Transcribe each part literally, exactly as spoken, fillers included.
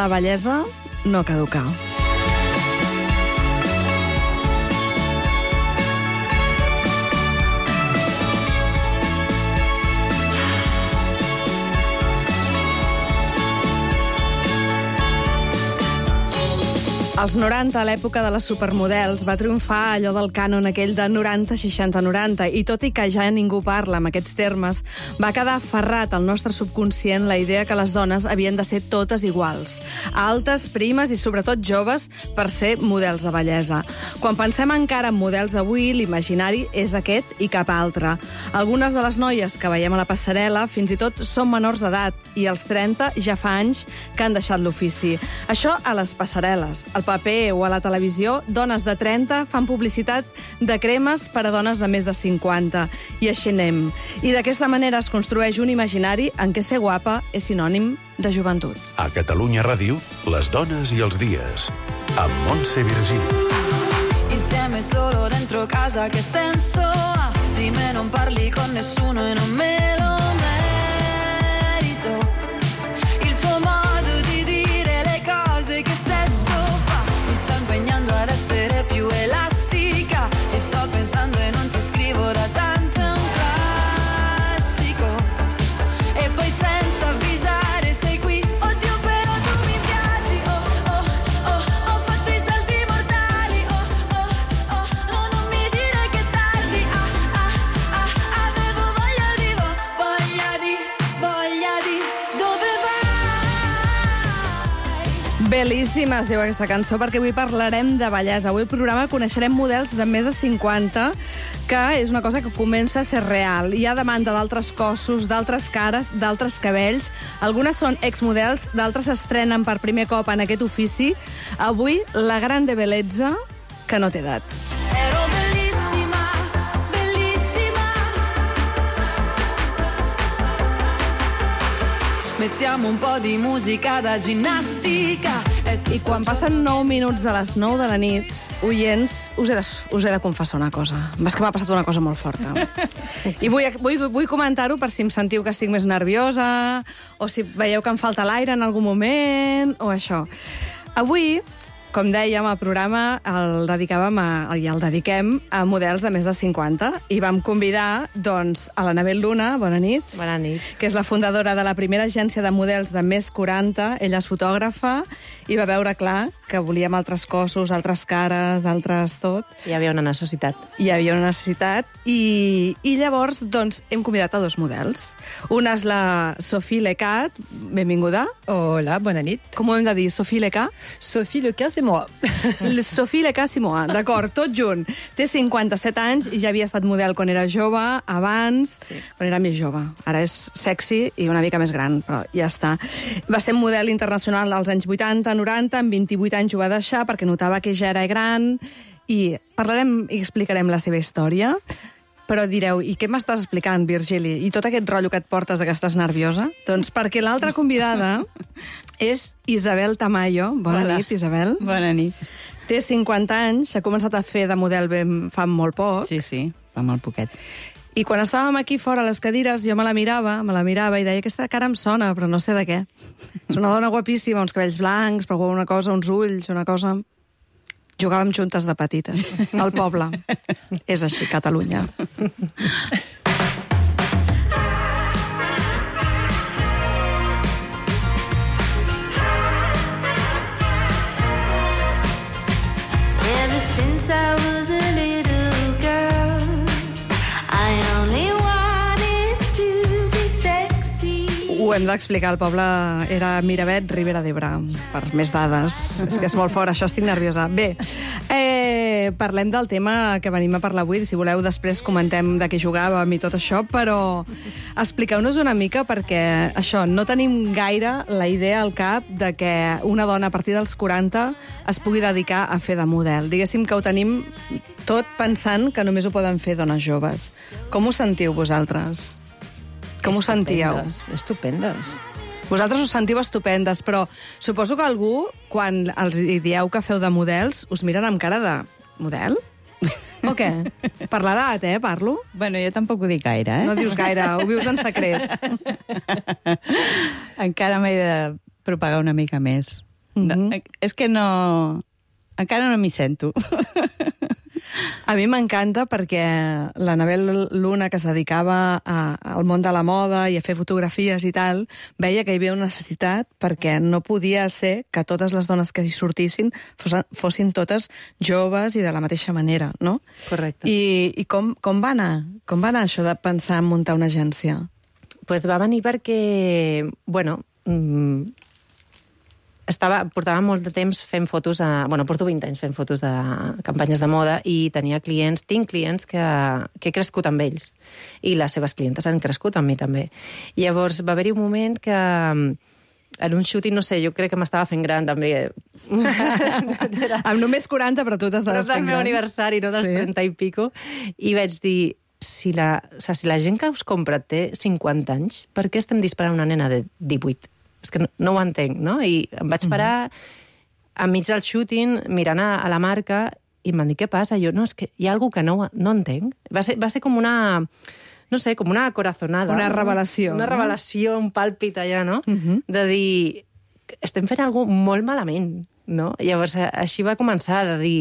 la bellesa no caduca. Als noranta, a l'època de les supermodels, va triomfar allò del cànon aquell de noranta seixanta noranta, i tot i que ja ningú parla amb aquests termes, va quedar aferrat al nostre subconscient la idea que les dones havien de ser totes iguals, altes, primes i sobretot joves per ser models de bellesa. Quan pensem encara en models avui, l'imaginari és aquest i cap altre. Algunes de les noies que veiem a la passarel·la fins i tot són menors d'edat, i als trenta ja fa anys que han deixat l'ofici. Això a les passarel·les. Al paper o a la televisió, dones de trenta fan publicitat de cremes per a dones de més de cinquanta. I així anem. I d'aquesta manera es construeix un imaginari en què ser guapa és sinònim de joventut. A Catalunya Ràdio, les dones i els dies. Amb Montse Virgili. Insieme solo dentro casa, che senso ha? Di me non parli con nessuno e non me lo merito. Il tuo modo di dire le cose, che sesso fa? Mi sto impegnando ad essere più elastica. Ti sto pensando e non ti scrivo da tanto, è un classico. E poi senza avvisare sei qui. Oddio però tu mi piaci. Oh oh oh, ho fatto i salti mortali. Oh oh oh, no non mi dire che è tardi. Ah ah ah, avevo voglia di, voglia di, voglia di. Dove vai? Bel·líssima es diu aquesta cançó, perquè avui parlarem de bellesa. Avui al programa coneixerem models de més de cinquanta, que és una cosa que comença a ser real. Hi ha demanda d'altres cossos, d'altres cares, d'altres cabells. Algunes són exmodels, d'altres s'estrenen per primer cop en aquest ofici. Avui, la grande bellezza que no té edat. Ero bellissima, bellissima. Mettiamo un po' di musica da ginnastica. I quan passen nou minuts de les nou de la nit, oients, us he de, us he de confessar una cosa. És que m'ha passat una cosa molt forta. I vull, vull, vull comentar-ho per si em sentiu que estic més nerviosa, o si veieu que em falta l'aire en algun moment, o això. Avui, com dèiem, el programa el dedicàvem a, i el dediquem a models de més de cinquanta, i vam convidar doncs, a l'Anabel Luna, bona nit, Bona nit. que és la fundadora de la primera agència de models de més quaranta. Ella és fotògrafa i va veure clar que volíem altres cossos, altres cares, altres tot. Hi havia una necessitat. Hi havia una necessitat i, i llavors doncs, hem convidat a dos models. Una és la Sophie Lecat, benvinguda. Hola, bona nit. Com ho hem de dir, Sophie Lecat? Sophie Lecat, c'est moi. Sophie Lecat Simoa, d'acord, tot junt. Té cinquanta-set anys i ja havia estat model quan era jove, abans, sí. quan era més jove. Ara és sexy i una mica més gran, però ja està. Va ser model internacional als anys vuitanta, noranta, amb vint-i-vuit anys ho va deixar perquè notava que ja era gran, i parlarem i explicarem la seva història. Però direu, i què m'estàs explicant, Virgili? I tot aquest rotllo que et portes de que estàs nerviosa? Doncs perquè l'altra convidada és Isabel Tamayo. Bona Hola. nit, Isabel. Bona nit. Té cinquanta anys, ha començat a fer de model ben, fa molt poc. Sí, sí, fa molt poquet. I quan estàvem aquí fora a les cadires, jo me la mirava, me la mirava i deia, aquesta cara em sona, però no sé de què. És una dona guapíssima, uns cabells blancs, però una cosa, uns ulls, una cosa... Jugàvem juntes de petites, al poble. És així, Catalunya. Ever since I was a little girl, I only wanted to be sexy. Ho hem d'explicar, el poble era Miravet, Ribera d'Ebre, per més dades. És que és molt fort, això estic nerviosa. Bé, eh, parlem del tema que venim a parlar avui. Si voleu, després comentem de què jugàvem i tot això, però expliqueu-nos una mica, perquè això, no tenim gaire la idea al cap de que una dona a partir dels quaranta es pugui dedicar a fer de model. Diguéssim que ho tenim tot pensant que només ho poden fer dones joves. Com us sentiu vosaltres? Com us sentíeu? Estupendes. Vosaltres us sentiu estupendes, però suposo que algú, quan els dieu que feu de models, us miren amb cara de... Model? O què? Per l'edat, eh, parlo? Bueno, jo tampoc ho dic gaire, eh? No dius gaire, ho vius en secret. Encara m'he de propagar una mica més. No, és que no... Encara no m'hi sento. A mi m'encanta perquè l'Anabel Luna, que es dedicava a, al món de la moda i a fer fotografies i tal, veia que hi havia una necessitat perquè no podia ser que totes les dones que hi sortissin fossin, fossin totes joves i de la mateixa manera, no? Correcte. I, i com, com va anar? Com va anar això de pensar en muntar una agència? Pues va venir perquè, bueno, mmm, estava, portava molt de temps fent fotos, a, bueno, porto vint anys fent fotos de campanyes de moda i tenia clients, tinc clients que, que he crescut amb ells i les seves clientes han crescut amb mi també. I llavors va haver-hi un moment que en un shooting, no sé, jo crec que m'estava fent gran també. Amb només quaranta, però tu t'estaves fent gran. Però del meu aniversari, no, dels sí. trenta i pico, i vaig dir, si la, o sigui, si la gent que us compra té cinquanta anys, per què estem disparant una nena de divuit? És que no, no ho entenc, no? I em vaig parar uh-huh. enmig del shooting mirant a, a la marca i em van dir, què passa? Jo, no, és que hi ha alguna que no, no entenc. Va ser, va ser com una, no sé, com una corazonada. Una revelació. Una no? revelació, un pàlpit allà, no? Uh-huh. De dir, estem fent alguna cosa molt malament, no? I llavors així va començar, de dir,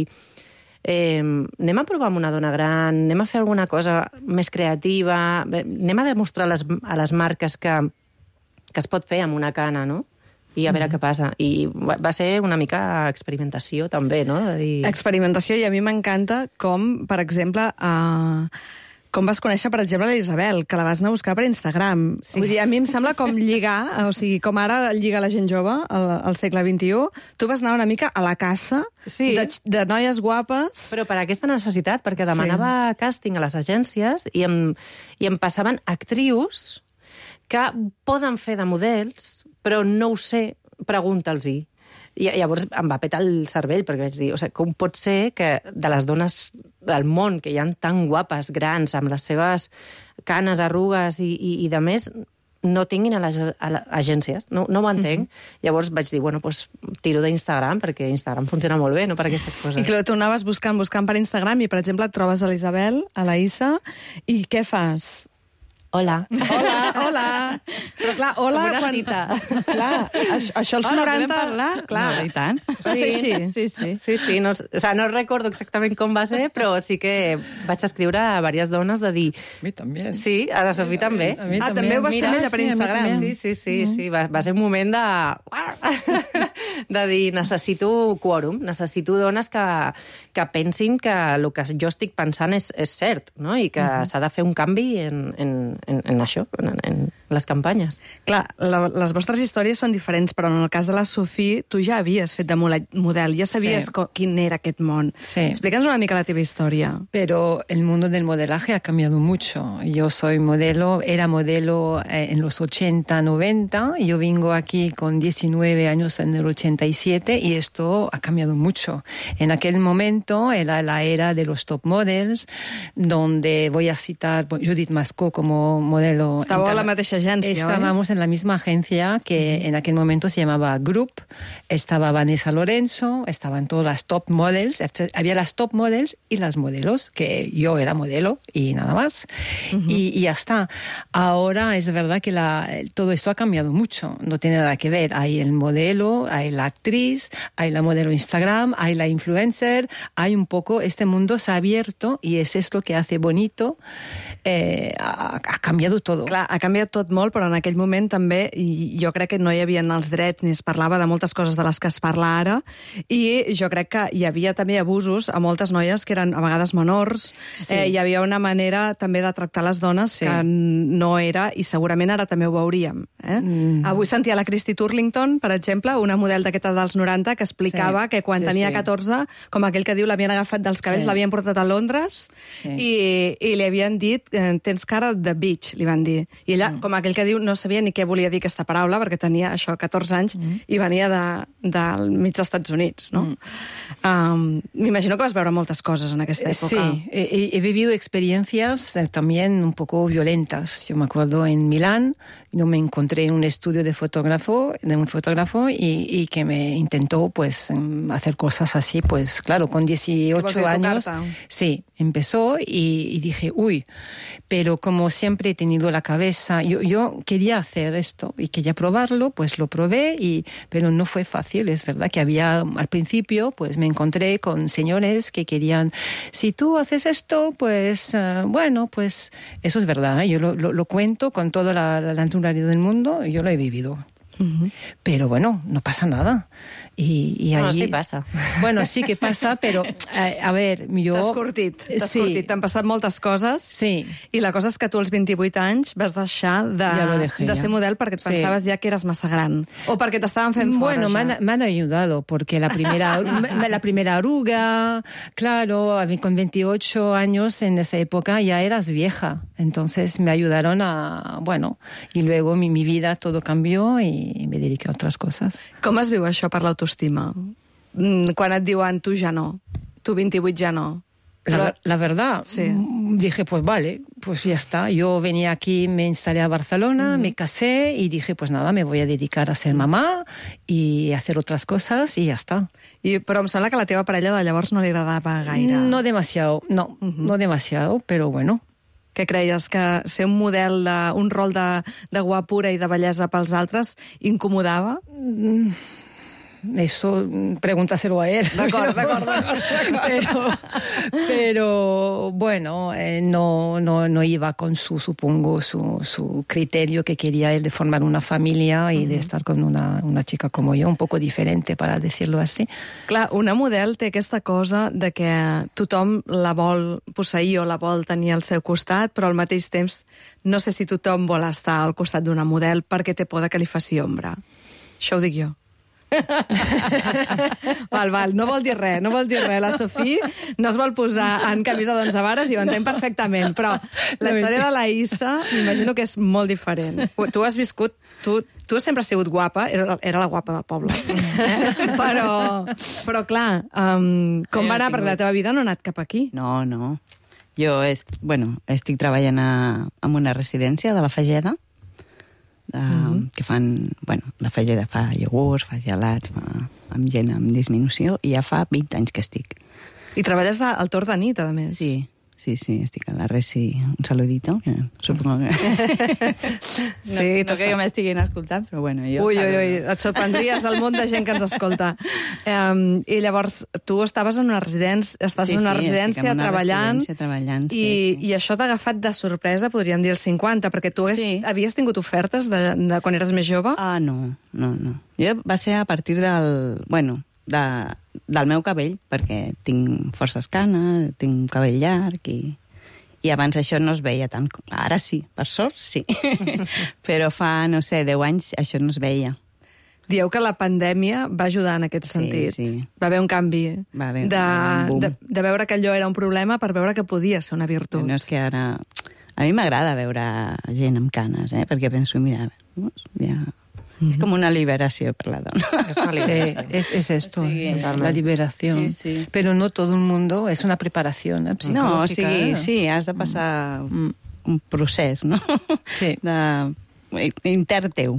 eh, anem a provar amb una dona gran, anem a fer alguna cosa més creativa, anem a demostrar a les, a les marques que que es pot fer amb una cana, no? I a veure mm. què passa. I va ser una mica experimentació, també, no? De dir... Experimentació, i a mi m'encanta com, per exemple, uh, com vas conèixer, per exemple, l'Isabel, que la vas anar a buscar per Instagram. Sí. Vull dir, a mi em sembla com lligar, o sigui, com ara lliga la gent jove al, al segle vint-i-u, tu vas anar una mica a la caça sí. de, de noies guapes. Però per aquesta necessitat, perquè demanava sí. càsting a les agències i em, i em passaven actrius que poden fer de models, però no ho sé, pregunta'ls-hi. I llavors em va petar el cervell, perquè vaig dir, o sigui, com pot ser que de les dones del món, que hi ha tan guapes, grans, amb les seves canes, arrugues i, i, i de més, no tinguin a les, a les agències? No, no ho entenc. Mm-hmm. Llavors vaig dir, bueno, pues, tiro d'Instagram, perquè Instagram funciona molt bé, no per aquestes coses. I clar, tu anaves buscant, buscant per Instagram i, per exemple, et trobes a l'Isabel, a la Issa, i què fas? Hola. Hola, hola. Però clar, hola... Com una quan... cita. Clar, això, això als hola, noranta... podem parlar? Clar. No, i tant. Va ser així? Sí, sí. Sí, sí, no, o sea, no recordo exactament com va ser, però sí que vaig escriure a diverses dones de dir... A mi també. Sí, a la Sofí també. A mi ah, també ho vas fer amb ella per Instagram. Sí, sí, sí, sí. Va, va ser un moment de... de dir, necessito quòrum, necessito dones que, que pensin que el que jo estic pensant és, és cert, no? I que uh-huh. s'ha de fer un canvi en, en, en, en això, en, en les campanyes. Clar, la, les vostres històries són diferents, però en el cas de la Sofí, tu ja havies fet de model, ja sabies sí. quin era aquest món. Sí. Explica'ns una mica la teva història. Pero el mundo del modelaje ha cambiado mucho. Yo soy modelo, era modelo en los ochenta, noventa, yo vengo aquí con diecinueve años en el ochenta y siete y esto ha cambiado mucho. En aquel momento era la era de los top models, donde voy a citar Judith Mascó como modelo. Estaba a la mateixa agència, Estábamos ¿eh? en la misma agencia que uh-huh. en aquel momento se llamaba Group. Estaba Vanessa Lorenzo, estaban todas las top models, había las top models y las modelos, que yo era modelo y nada más. Uh-huh. Y, y ya está. Ahora es verdad que la, todo esto ha cambiado mucho, no tiene nada que ver. Hay el modelo, hay la actriz, hay la modelo Instagram, hay la influencer, hay un poco, este mundo se ha abierto y es esto que hace bonito. Eh, ha, ha canviat tot. Clar, ha canviat tot molt, però en aquell moment també, i jo crec que no hi havia els drets ni es parlava de moltes coses de les que es parla ara, i jo crec que hi havia també abusos a moltes noies que eren a vegades menors, sí. eh, hi havia una manera també de tractar les dones sí. que no era, i segurament ara també ho veuríem. Eh? Mm. Avui sentia la Christy Turlington, per exemple, una model d'aquesta dels noranta, que explicava sí. que quan sí, tenia sí. catorze, com aquell que diu, l'havien agafat dels cabells, sí. l'havien portat a Londres, sí. i, i li havien dit, tens cara de bitch, li van dir. I ella, mm. com aquell que diu, no sabia ni què volia dir aquesta paraula, perquè tenia això, catorze anys, mm. i venia de, del mig dels Estats Units, no? Mm. Um, M'imagino que vas veure moltes cosas en aquesta època. Sí, he, he vivido experiencias también un poco violentas. Yo me acuerdo en Milán, yo me encontré en un estudio de fotógrafo, de un fotógrafo y, y que me intentó pues hacer cosas así, pues claro, con dieciocho años. Sí, empezó y, y dije, uy, pero como siempre he tenido la cabeza, yo, yo yo quería hacer esto y quería probarlo, pues lo probé, y, pero no fue fácil. Es verdad que había, al principio, pues me encontré con señores que querían, si tú haces esto, pues uh, bueno, pues eso es verdad, ¿eh? Yo lo, lo, lo cuento con toda la, la naturalidad del mundo, yo lo he vivido. Uh-huh. Pero bueno, no pasa nada. I, i no, ahí... sí passa. Bueno, sí que passa, però, a, a veure, jo... T'has curtit, t'has sí. curtit. T'han passat moltes coses. Sí. I la cosa és que tu als vint-i-vuit anys vas deixar de, ja lo dejé, de ser ja. model perquè et pensaves sí. ja que eres massa gran. O perquè t'estaven fent fora, bueno, ja. Bueno, me han ayudado, porque la primera, la primera arruga, claro, con veintiocho años en esa época ya eras vieja. Entonces me ayudaron a... Bueno, y luego mi, mi vida todo cambió y me dediqué a otras cosas. Com es viu això per l'autoestima? Quan et diuen tu ja no, tu vint-i-vuit ja no. La, la verdad, sí. dije, pues vale, pues ya está. Yo venía aquí, me instalé a Barcelona, mm. me casé y dije, pues nada, me voy a dedicar a ser mamá y hacer otras cosas y ya está. I, però em sembla que a la teva parella de llavors no li agradava gaire. No demasiado, no, mm-hmm. no demasiado, pero bueno. Que creies que ser un model, de, un rol de, de guapura i de bellesa pels altres incomodava? Mm. Eso, pregúntaselo a él. D'acord, d'acord, d'acord. Pero, pero bueno, eh, no, no, no iba con su, supongo, su, su criterio que quería él de formar una familia y uh-huh. de estar con una, una chica como yo, un poco diferente, para decirlo así. Clar, una model té aquesta cosa de que tothom la vol posseir o la vol tenir al seu costat, però al mateix temps no sé si tothom vol estar al costat d'una model perquè té por de que li faci ombra. Això ho dic jo. val, val, no vol dir res, no vol dir res. La Sofí no es vol posar en camisa d'onze vares i ho entenc perfectament, però la història de la Issa m'imagino que és molt diferent. Tu has viscut, tu, tu sempre has sigut guapa, era, era la guapa del poble, eh? però, però clar, um, com va anar? Perquè la teva vida no ha anat cap aquí. No, no. Jo est, bueno, estic treballant a, en una residència de la Fageda, Uh, mm-hmm. que fan, bueno, la Fageda fa iogurts, fa gelats, fa, amb gent amb disminució, i ja fa vint anys que estic. I treballes al torn de nit, a més. Sí, sí, sí, estic a la Resi. Un saludito, que supongo que... sí, no, no que m'estiguin escoltant, però bueno, jo... Ui, ui, ui, et sorprendries del munt de gent que ens escolta. Um, I llavors, tu estaves en una residència, estàs sí, en una sí, residència en una treballant, residència treballant i, sí, sí. i això t'ha agafat de sorpresa, podríem dir, els cinquanta, perquè tu sí. és, havies tingut ofertes de, de quan eres més jove? Ah, no, no, no. Jo va ser a partir del... Bueno, de, del meu cabell, perquè tinc forces canes, tinc un cabell llarg i, i abans això no es veia tant. Ara sí, per sort sí. Però fa, no sé, deu anys això no es veia. Dieu que la pandèmia va ajudar en aquest sí, sentit. Sí. Va haver un canvi. Va haver de, un boom. De, de veure que allò era un problema per veure que podia ser una virtut. No és que ara... A mi m'agrada veure gent amb canes, eh? Perquè penso, mira, ja... Es como una liberación para la dona. Es una liberación. Sí, es, es esto, sí, es la liberación. Sí, sí. Pero no todo el mundo, es una preparación eh, psicológica. No, o sigui, eh? sí, has de passar mm. un procés, no? Sí. De, intern teu.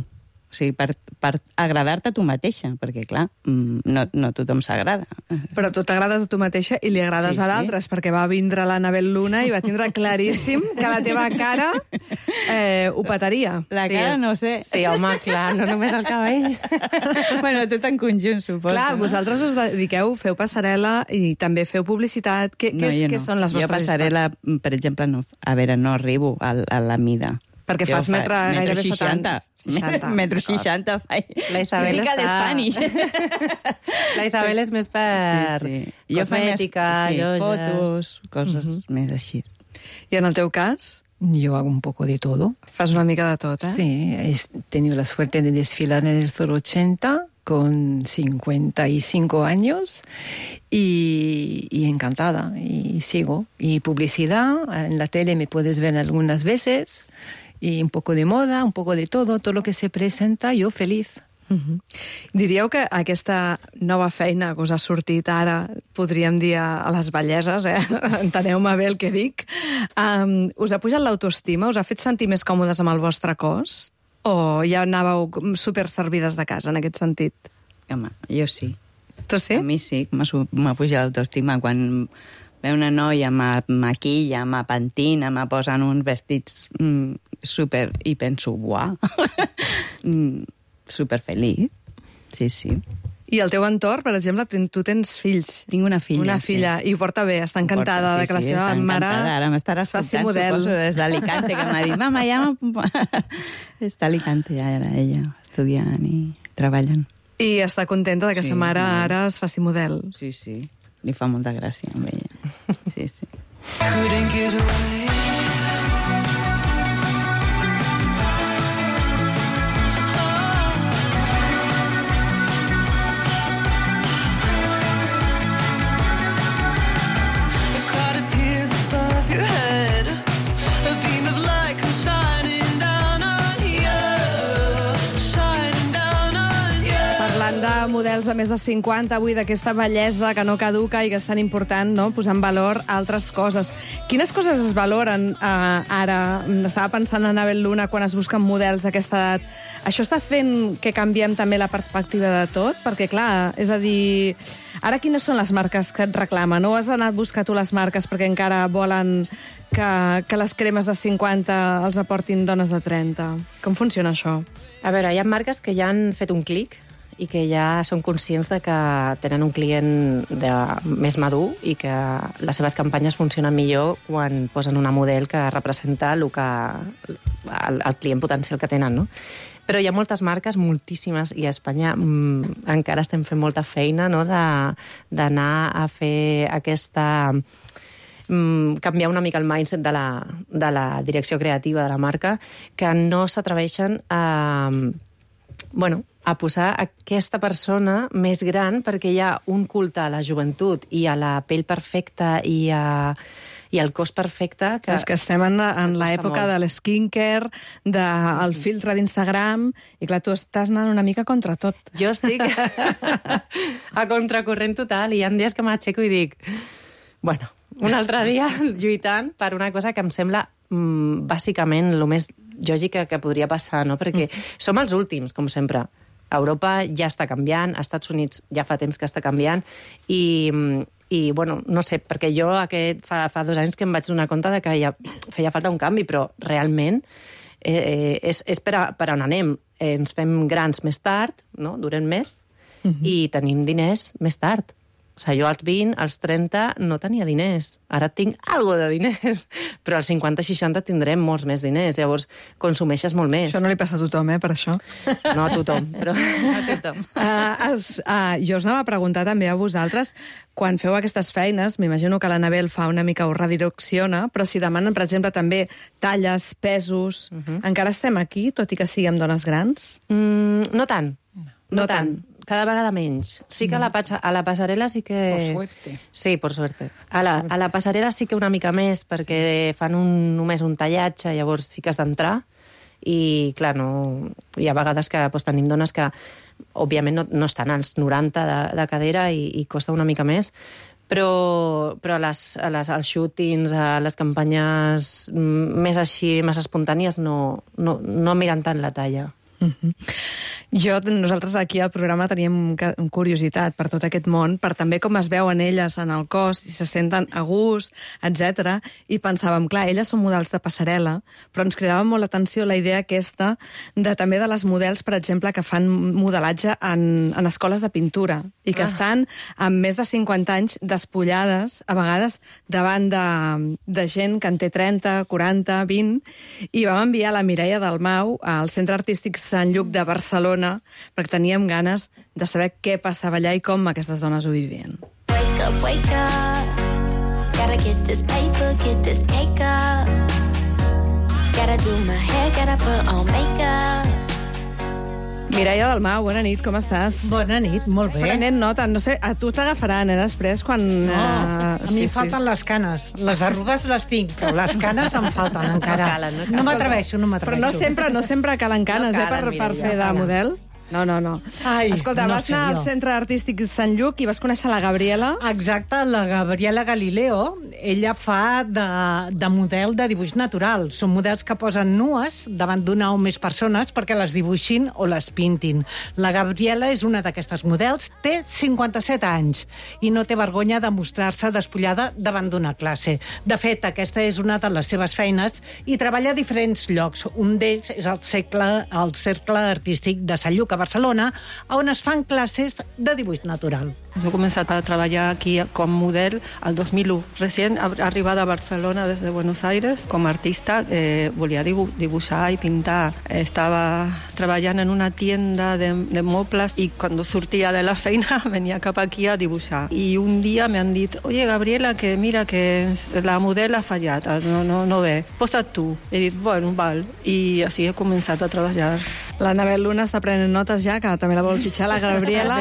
O sigui, per, per agradar-te a tu mateixa, perquè, clar, no, no tothom s'agrada. Però tu t'agrades a tu mateixa i li agrades sí, a l'altres, sí. Perquè va vindre l'Anabel Luna i va tindre claríssim sí. que la teva cara eh, ho petaria. La cara sí, no sé. Sí, home, clar, no només el cabell. Bueno, tot en conjunt, suposo. Clar, no? Vosaltres us dediqueu, feu passarel·la i també feu publicitat. Què, no, què, no. què són les vostres jo passarel·la, per exemple, no, a veure, no arribo a, a la mida. Perquè fas fa, metre gairebé setanta. seixanta. Metro seixanta. La Isabel sí, està... l'Spanish. La Isabel és més per sí, sí. cosmètica, sí, lloses... fotos, coses uh-huh. més així. I en el teu cas? Yo hago un poco de todo. Fas una mica de tot, eh? Sí, he tenido la suerte de desfilar en el Zoro ochenta con cincuenta y cinco años y, y encantada, y sigo. Y publicidad, en la tele me puedes ver algunas veces, y un poco de moda, un poco de todo, todo lo que se presenta, yo feliz. Uh-huh. Diríeu que aquesta nova feina que us ha sortit ara, podríem dir a les belleses, eh? Enteneu-me bé el que dic, um, us ha pujat l'autoestima? Us ha fet sentir més còmodes amb el vostre cos? O ja anàveu super servides de casa, en aquest sentit? Home, jo sí. Tu sí? A mi sí, m'ha pujat l'autoestima quan ve una noia, me maquilla, me pentina, me posen uns vestits mm, super... I penso, uau, mm, super feliç. Sí, sí. I el teu entorn, per exemple, tu tens fills. Tinc una filla, Una filla, sí. i ho porta bé, està encantada Porta, sí, de que la sí, seva està mare encantada. Ara m'estarà es faci escoltant, model. suposo, des d'Alicante, que m'ha dit, mama, ja... Està a Alicante ja, era ella, estudiant i treballant. I està contenta de que Sí, sa mare molt. ara es faci model. Sí, sí. Li fa molta gràcia amb ella. Sí, sí. Couldn't get away. A cloud appears above your head. A beam of light comes shining down on you. Shining down on you. Parlant de models de més de cinquanta, avui d'aquesta bellesa que no caduca i que és tan important, no?, posar en valor altres coses. Quines coses es valoren eh, ara? Estava pensant en Abel Luna quan es busquen models d'aquesta edat. Això està fent que canviem també la perspectiva de tot? Perquè, clar, és a dir, ara quines són les marques que et reclamen? No has d'anar a buscar tu les marques perquè encara volen que, que les cremes de cinquanta els aportin dones de trenta? Com funciona això? A veure, hi ha marques que ja han fet un clic i que ja són conscients de que tenen un client de, més madur i que les seves campanyes funcionen millor quan posen una model que representa el, que, el, el client potencial que tenen, no? Però hi ha moltes marques, moltíssimes, i a Espanya mm, encara estem fent molta feina, no?, d'anar a fer aquesta... Mm, canviar una mica el mindset de la, de la direcció creativa de la marca, que no s'atreveixen a... Bueno, a posar aquesta persona més gran perquè hi ha un culte a la joventut i a la pell perfecta i, a, i al cos perfecte. Que és que estem en, en l'època de l'skincare, del filtre d'Instagram, i clar, tu estàs anant una mica contra tot. Jo estic a contracorrent total i hi ha dies que m'aixeco i dic, bueno, un altre dia lluitant per una cosa que em sembla mm, bàsicament el més lògica que podria passar, no? Perquè mm. som els últims, com sempre. Europa ja està canviant, als Estats Units ja fa temps que està canviant, i, i bueno, no sé, perquè jo aquest, fa, fa dos anys que em vaig donar compte de que ja feia falta un canvi, però realment eh, és, és per, a, per on anem. Eh, ens fem grans més tard, no? Durem més, mm-hmm. i tenim diners més tard. O sigui, jo als vint, als trenta, no tenia diners. Ara tinc algo de diners. Però als cinquanta seixanta tindrem molts més diners. Llavors, consumeixes molt més. Això no li passa a tothom, eh, per això. No a tothom, però a tothom. Uh, es, uh, jo us anava a preguntar també a vosaltres, quan feu aquestes feines, m'imagino que l'Anabel fa una mica, ho redirecciona, però si demanen, per exemple, també talles, pesos... Uh-huh. Encara estem aquí, tot i que siguem dones grans? Mm, no tant. No, no tant. tant. Cada vegada menys. Sí que a la, a la passarel·la sí que... Por suerte. Sí, por suerte. A la, a la passarel·la sí que una mica més, perquè sí. fan un, només un tallatge, llavors sí que has d'entrar, i, clar, no... hi ha vegades que pues, tenim dones que, òbviament, no, no estan als noranta de, de cadera i, i costa una mica més, però, però a les, a les, als shootings, a les campanyes més així, més espontànies, no, no, no miren tant la talla. Mm-hmm. Jo, nosaltres aquí al programa teníem curiositat per tot aquest món, per també com es veuen elles en el cos, si se senten a gust, etcètera. I pensàvem, clar, elles són models de passarel·la, però ens cridava molt l'atenció la idea aquesta de també de les models, per exemple, que fan modelatge en, en escoles de pintura i que ah. estan amb més de cinquanta anys despullades, a vegades davant de, de gent que en té trenta, quaranta, vint, i vam enviar la Mireia Dalmau al Centre Artístic Sant Lluc de Barcelona perquè teníem ganes de saber què passava allà i com aquestes dones ho vivien. Wake up, wake up. Gotta get this paper, get this cake up. Gotta do my hair, gotta put on makeup. Mireia Dalmau, bona nit, com estàs? Bona nit, molt bé. Prenent nota, no sé, a tu t'agafaran, eh, després, quan... No, uh, a mi sí, falten sí. les canes. Les arrugues les tinc, però les canes em falten encara. No, calen, no, no m'atreveixo, no m'atreveixo. Però no sempre, no sempre calen canes, no calen, eh, per, per fer de model. No, no, no. Ai, Escolta, no vas sé anar al jo. Centre Artístic Sant Lluc i vas conèixer la Gabriela. Exacte, la Gabriela Galileo, ella fa de, de model de dibuix natural. Són models que posen nues davant d'una o més persones perquè les dibuixin o les pintin. La Gabriela és una d'aquestes models, té cinquanta-set anys i no té vergonya de mostrar-se despullada davant d'una classe. De fet, aquesta és una de les seves feines i treballa a diferents llocs. Un d'ells és el, segle, el Cercle Artístic de Sant Lluc, a Barcelona, on es fan classes de dibuix natural. Yo he comenzado a trabajar aquí como modelo al dos mil uno. Recién arribada a Barcelona desde Buenos Aires, como artista, eh, volía dibu dibujar y pintar. Estaba trabajando en una tienda de, de moplas y cuando surtía de la feina venía cap aquí a dibujar. Y un día me han dicho, oye, Gabriela, que mira que la modelo ha fallado, no, no, no ve, posa tú. He dit, bueno, val. I així he començat a treballar. L'Anabel Luna està prenent notes ja, que també la vol fitxar, la Gabriela.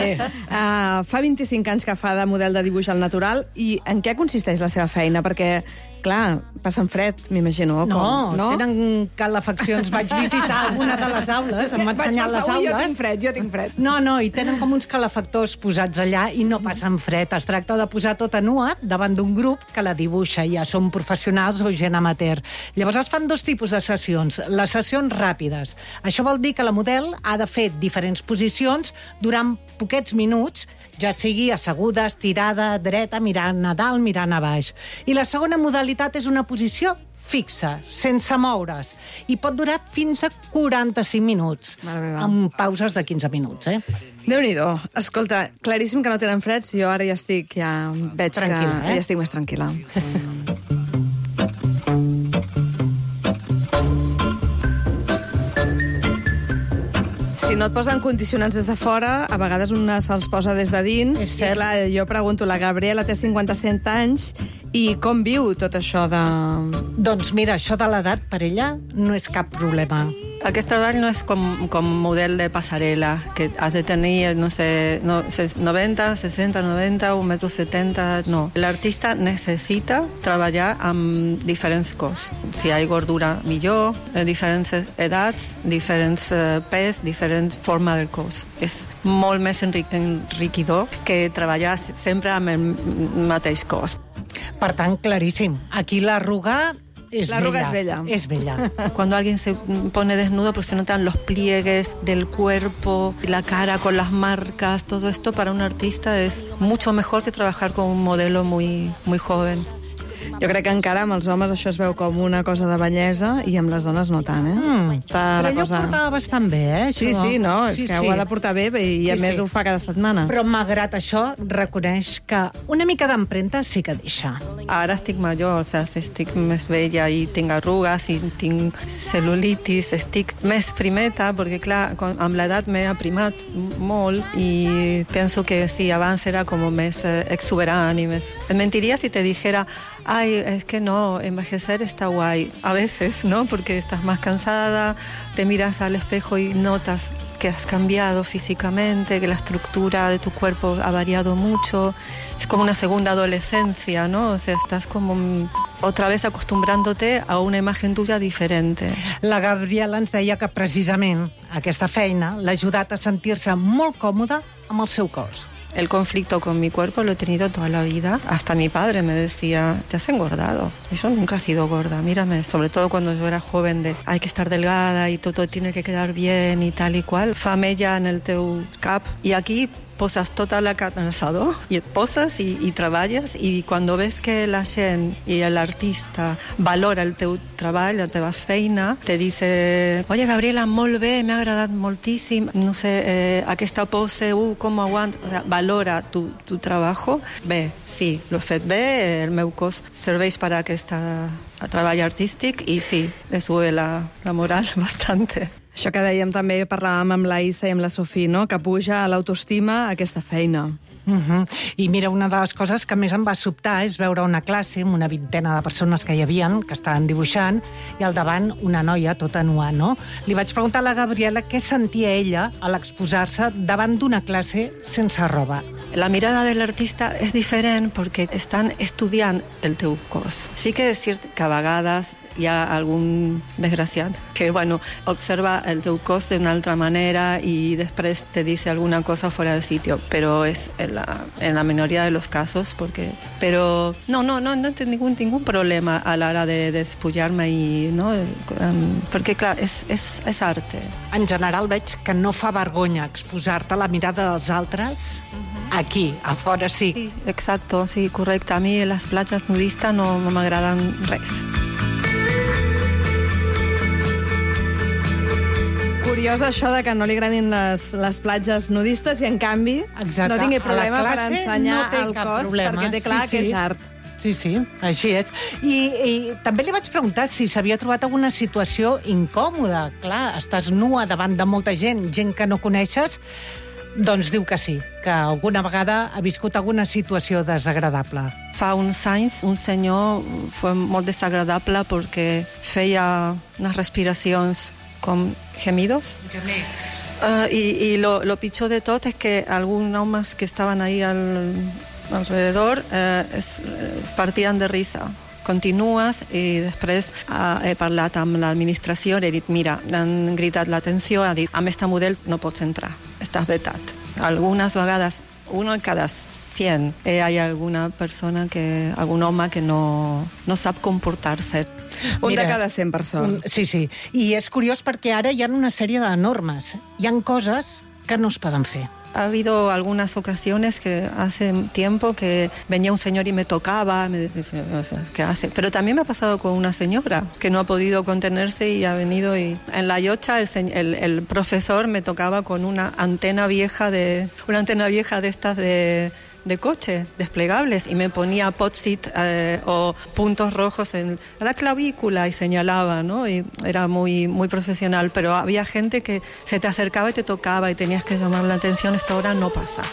Uh, fa vint-i-cinc anys que fa de model de dibuix al natural. I en què consisteix la seva feina? Perquè, clar, passen fred, m'imagino. No, no, tenen calefaccions. Vaig visitar alguna de les aules, em va ensenyar les aules. Jo tinc fred, jo tinc fred. No, no, i tenen com uns calefactors posats allà i no passen fred. Es tracta de posar tota nua davant d'un grup que la dibuixa. Ja són professionals o gent amateur. Llavors es fan dos tipus de sessions. Les sessions ràpides. Això vol dir que la model ha de fer diferents posicions durant poquets minuts, ja sigui asseguda, estirada, dreta, mirant a dalt, mirant a baix. I la segona modalitat és una posició fixa, sense moure's, i pot durar fins a quaranta-cinc minuts, amb pauses de quinze minuts, eh? Déu-n'hi-do. Escolta, claríssim que no tenen freds, jo ara ja estic, ja veig Tranquil·la, que eh? ja estic més tranquil·la. Si no et posen condicionants des de fora, a vegades una se'ls posa des de dins. És I cert. clar, jo pregunto, la Gabriela té cinquanta-set anys i com viu tot això de... Doncs mira, això de l'edat per ella no és cap problema. Aquest treball no és com, com model de passarel·la, que has de tenir, no sé, no, noventa, seixanta, noventa, un metro setenta, no. L'artista necessita treballar amb diferents cos. Si hi ha gordura, millor, eh, diferents edats, diferents eh, pes, diferent forma del cos. És molt més enric enriquidor que treballar sempre amb el mateix cos. Per tant, claríssim. Aquí l'arruga és L'arruga bella. és bella. És bella. Cuando alguien se pone desnudo, pues se notan los pliegues del cuerpo, la cara con las marcas, todo esto para un artista es mucho mejor que trabajar con un modelo muy, muy joven. Jo crec que encara amb els homes això es veu com una cosa de bellesa i amb les dones no tant, eh? Mm. Està Però la ella cosa... ho portava bastant bé, eh? Sí, això. sí, no, és Sí, que sí. ho ha de portar bé i a Sí, més sí. ho fa cada setmana. Però malgrat això, reconeix que una mica d'empremta sí que deixa. Ara estic major, o sea, estic més vella i tinc arrugues i tinc cel·lulitis, estic més primeta, perquè clar, con- amb l'edat m'he aprimat molt i penso que sí, abans era com més eh, exuberant i més... Et mentiria si te dijera, ay, es que no, envejecer está guay. A veces, ¿no? Porque estás más cansada, te miras al espejo y notas que has cambiado físicamente, que la estructura de tu cuerpo ha variado mucho. Es como una segunda adolescencia, ¿no? O sea, estás como mm, otra vez acostumbrándote a una imagen tuya diferente. La Gabriela ens deia que precisament aquesta feina l'ha ajudat a sentir-se molt còmoda amb el seu cos. El conflicto con mi cuerpo lo he tenido toda la vida. Hasta mi padre me decía, te has engordado. Y yo nunca he sido gorda, mírame. Sobre todo cuando yo era joven, de hay que estar delgada y todo tiene que quedar bien y tal y cual. Famella en el teu cap. Y aquí posas tota la carn al assador i et poses i, i treballes i quan ves que la gent i l'artista valora el teu treball, la teva feina, te dice, oye Gabriela, molt bé, m'ha agradat moltíssim, no sé, eh, aquesta pose, uh, com aguanta, o sea, valora tu, tu trabajo. Bé, sí, l'he fet bé, el meu cos serveix per a aquest treball artístic i sí, le sube la, la moral bastante. Això que dèiem també, parlàvem amb la Issa i amb la Sofí, no? Que puja a l'autoestima aquesta feina. Uh -huh. I mira, una de les coses que més em va sobtar és veure una classe amb una vintena de persones que hi havien, que estaven dibuixant, i al davant una noia tota nua, no? Li vaig preguntar a la Gabriela què sentia ella a l'exposar-se davant d'una classe sense roba. La mirada del artista és diferent perquè estan estudiant el teu cos. Sí que és cert que a vegades hi ha algun desgraciat que, bueno, observa el teu cos d'una altra manera i després te dice alguna cosa fuera de sitio, pero es en la, en la minoría de los casos, porque, pero no, no, no, no tengo ningún, ningún problema a la hora de despullar-me i, no, um, perquè, clar, és, és, és arte. En general veig que no fa vergonya exposar-te a la mirada dels altres. Uh-huh. Aquí, a fora sí. Sí, exacto, sí, correcte. A mi les platges nudistes no, no m'agraden res. Curiós això de que no li agradin les, les platges nudistes i, en canvi, Exacte. no tingui problema per ensenyar no el cos, problema. perquè té clar sí, que sí. és art. Sí, sí, així és. I, i també li vaig preguntar si s'havia trobat alguna situació incòmoda. Clar, estàs nua davant de molta gent, gent que no coneixes, doncs diu que sí, que alguna vegada ha viscut alguna situació desagradable. Fa uns anys un senyor fue molt desagradable perquè feia unes respiracions com gemidos. Gemecs. Uh, i i lo, lo pitjor de tot és que alguns homes que estaven ahí al, alrededor eh, es, partien de risa. Continues i després uh, he parlat amb l'administració i he dit, mira, han gritat l'atenció, ha dit, amb este model no pots entrar, estàs vetat. Algunes vegades, uno en cada cien, eh, hi ha alguna persona, que, algun home que no, no sap comportar-se. Un Mira, de cada cent persones. Un, sí, sí. I és curiós perquè ara hi ha una sèrie de normes. Hi han coses que no es poden fer. Ha habido algunas ocasiones que hace tiempo que venía un señor y me tocaba, me decía, o sea, ¿qué hace? Pero también me ha pasado con una señora que no ha podido contenerse y ha venido y en la yocha el, el, el profesor me tocaba con una antena vieja de una antena vieja de estas de de coche, desplegables, y me ponía post-it eh, o puntos rojos en la clavícula y señalaba, ¿no? Y era muy, muy profesional, pero había gente que se te acercaba y te tocaba y tenías que llamar la atención. Esto ahora no pasa.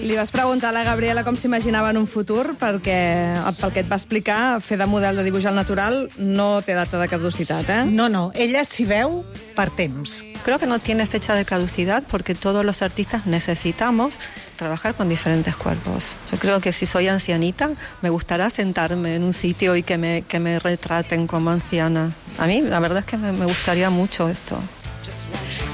Li vas preguntar a la Gabriela com s'imaginava en un futur, perquè pel que et va explicar, fer de model de dibuix al natural no té data de caducitat, eh? No, no, ella s'hi veu per temps. Creo que no tiene fecha de caducidad porque todos los artistas necesitamos trabajar con diferentes cuerpos. Yo creo que si soy ancianita, me gustará sentarme en un sitio y que me, que me retraten como anciana. A mí, la verdad es que me, me gustaría mucho esto.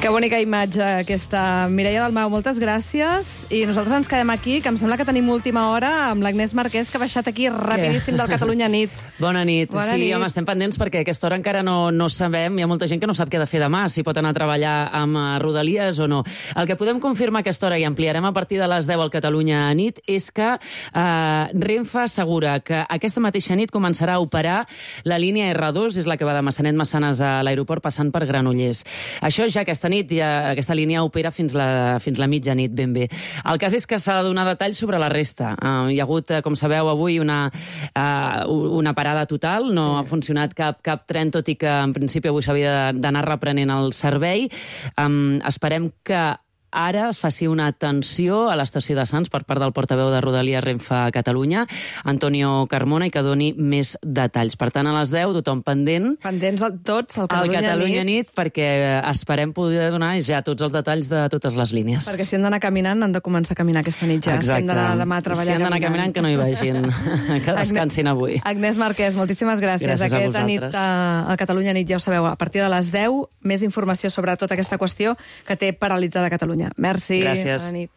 Que bonica imatge aquesta. Mireia Dalmau, moltes gràcies. I nosaltres ens quedem aquí, que em sembla que tenim última hora amb l'Agnès Marquès, que ha baixat aquí rapidíssim del Catalunya Nit. Bona nit. Bona sí, nit. home, estem pendents perquè a aquesta hora encara no, no sabem, hi ha molta gent que no sap què ha de fer demà, si pot anar a treballar amb uh, Rodalies o no. El que podem confirmar a aquesta hora, i ampliarem a partir de les deu al Catalunya Nit, és que uh, Renfe assegura que aquesta mateixa nit començarà a operar la línia erre dos, és la que va de Massanet-Massanes a l'aeroport passant per Granollers. Això ja aquesta nit, ja, aquesta línia opera fins la, fins la mitjanit ben bé. El cas és que s'ha de donar detalls sobre la resta. Uh, hi ha hagut, uh, com sabeu, avui una, uh, una parada total, no sí. ha funcionat cap, cap tren, tot i que en principi avui s'havia d'anar reprenent el servei. Um, esperem que ara es faci una atenció a l'estació de Sants per part del portaveu de Rodalies Renfe a Catalunya, Antonio Carmona, i que doni més detalls. Per tant, a les deu, tothom pendent. Pendents tots al Catalunya, al Catalunya nit. nit, perquè esperem poder donar ja tots els detalls de totes les línies. Perquè si han d'anar caminant, han de començar a caminar aquesta nit ja. Exacte. Si han d'anar demà a treballar si han d'anar caminant. caminant, que no hi vagin. Que descansin avui. Agnès Marquès, moltíssimes gràcies. Gràcies a Aquesta nit vosaltres. al Catalunya Nit, ja ho sabeu, a partir de les deu, més informació sobre tota aquesta qüestió que té paralitzada Catalunya. Merci. Gràcies. Bona nit.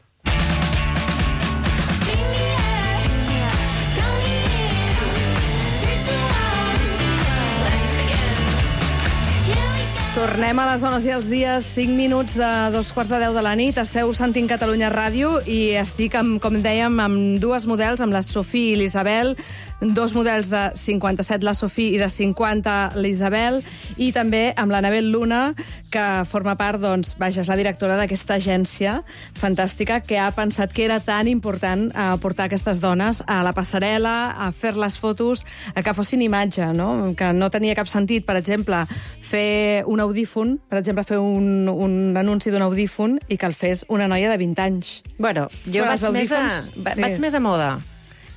Tornem a les dones i els dies, cinc minuts a dos quarts de deu de la nit. Esteu sentint Catalunya Ràdio i estic, amb, com dèiem, amb dues models, amb la Sofia i l'Isabel, dos models de cinquanta-set, la Sofia, i de cinquanta, l'Isabel, i també amb l'Anabel Luna, que forma part, doncs, vaja, és la directora d'aquesta agència fantàstica que ha pensat que era tan important eh, portar aquestes dones a la passarel·la, a fer les fotos, a que fossin imatge, no? Que no tenia cap sentit, per exemple, fer un audífon, per exemple, fer un, un anunci d'un audífon i que el fes una noia de vint anys. Bueno, jo vaig més, a, va- vaig més a moda,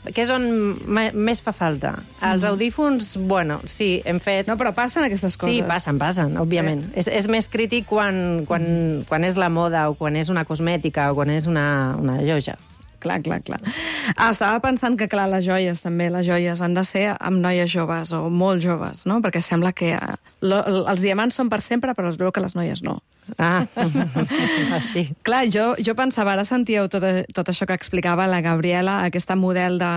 que és on me- més fa falta. Els audífons, bueno, sí, hem fet... No, però passen aquestes coses. Sí, passen, passen, òbviament. Sí. És, és més crític quan, quan, quan és la moda o quan és una cosmètica o quan és una, una lloja. Clar, clar, clar. Ah, estava pensant que, clar, les joies també, les joies han de ser amb noies joves o molt joves, no? Perquè sembla que eh, lo, els diamants són per sempre, però es veu que les noies no. Ah, ah sí. Clar, jo, jo pensava, ara sentíeu tot, tot això que explicava la Gabriela, aquesta model de,